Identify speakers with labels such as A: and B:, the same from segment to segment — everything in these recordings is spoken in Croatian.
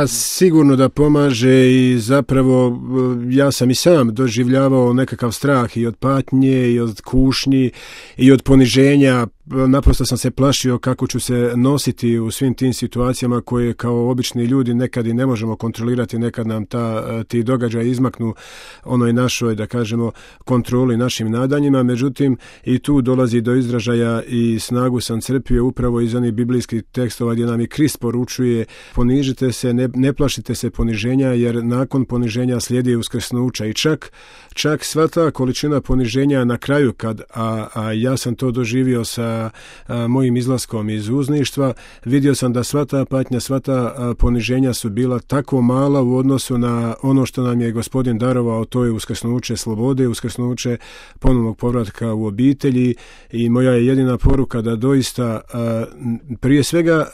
A: Pa sigurno da pomaže i zapravo ja sam i sam doživljavao nekakav strah i od patnje i od kušnji i od poniženja. Naprosto sam se plašio kako ću se nositi u svim tim situacijama koje kao obični ljudi nekad i ne možemo kontrolirati, nekad nam ti događaji izmaknu onoj našoj, da kažemo, kontroli, našim nadanjima. Međutim, i tu dolazi do izražaja i snagu sam crpio upravo iz onih biblijskih tekstova gdje nam i Krist poručuje: ponižite se, ne plašite se poniženja, jer nakon poniženja slijedi uskrsnuća. I čak sva ta količina poniženja na kraju, a ja sam to doživio sa mojim izlaskom iz uzništva, vidio sam da sva ta patnja, sva ta poniženja su bila tako mala u odnosu na ono što nam je Gospodin darovao, to je uskrsnuće slobode, uskrsnuće ponovnog povratka u obitelji. I moja je jedina poruka da doista prije svega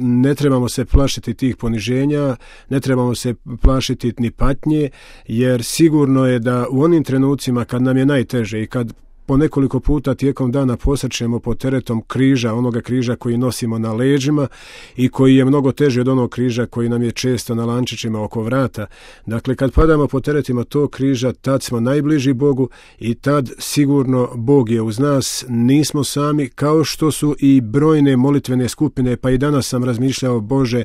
A: ne trebamo se plašiti tih poniženja, ne trebamo se plašiti ni patnje, jer sigurno je da u onim trenucima kad nam je najteže i kad po nekoliko puta tijekom dana posrćemo pod teretom križa, onoga križa koji nosimo na leđima i koji je mnogo teži od onog križa koji nam je često na lančićima oko vrata. Dakle, kad padamo pod teretima tog križa, tad smo najbliži Bogu i tad sigurno Bog je uz nas, nismo sami, kao što su i brojne molitvene skupine. Pa i danas sam razmišljao: Bože,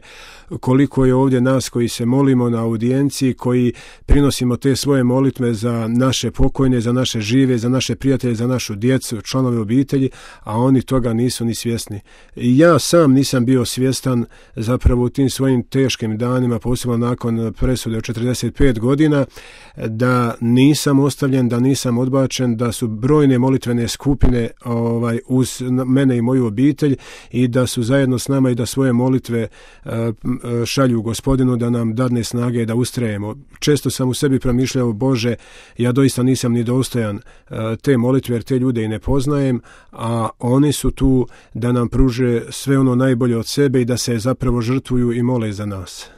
A: koliko je ovdje nas koji se molimo na audijenciji, koji prinosimo te svoje molitve za naše pokojne, za naše žive, za naše prijatelje, za našu djecu, članove obitelji, a oni toga nisu ni svjesni. I ja sam nisam bio svjestan zapravo u tim svojim teškim danima, posebno nakon presude od 45 godina, da nisam ostavljen, da nisam odbačen, da su brojne molitvene skupine uz mene i moju obitelj i da su zajedno s nama i da svoje molitve šalju Gospodinu da nam dadne snage da ustrajemo. Često sam u sebi promišljao: Bože, ja doista nisam ni dostojan te molitve, jer te ljude i ne poznajem, a oni su tu da nam pruže sve ono najbolje od sebe i da se zapravo žrtvuju i mole za nas.